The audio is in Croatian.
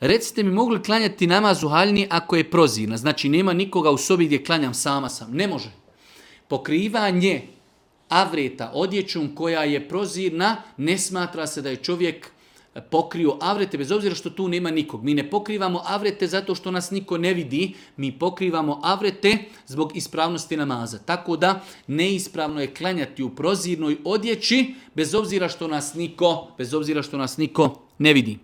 recite mi mogu li klanjati namaz u haljini ako je prozirna? Znači nema nikoga u sobi gdje klanjam, sama sam. Ne može. Pokrivanje avreta odjećom koja je prozirna, ne smatra se da je čovjek pokrio avrete, bez obzira što tu nema nikog. Mi ne pokrivamo avrete zato što nas niko ne vidi, mi pokrivamo avrete zbog ispravnosti namaza. Tako da neispravno je klanjati u prozirnoj odjeći bez obzira što nas niko ne vidi.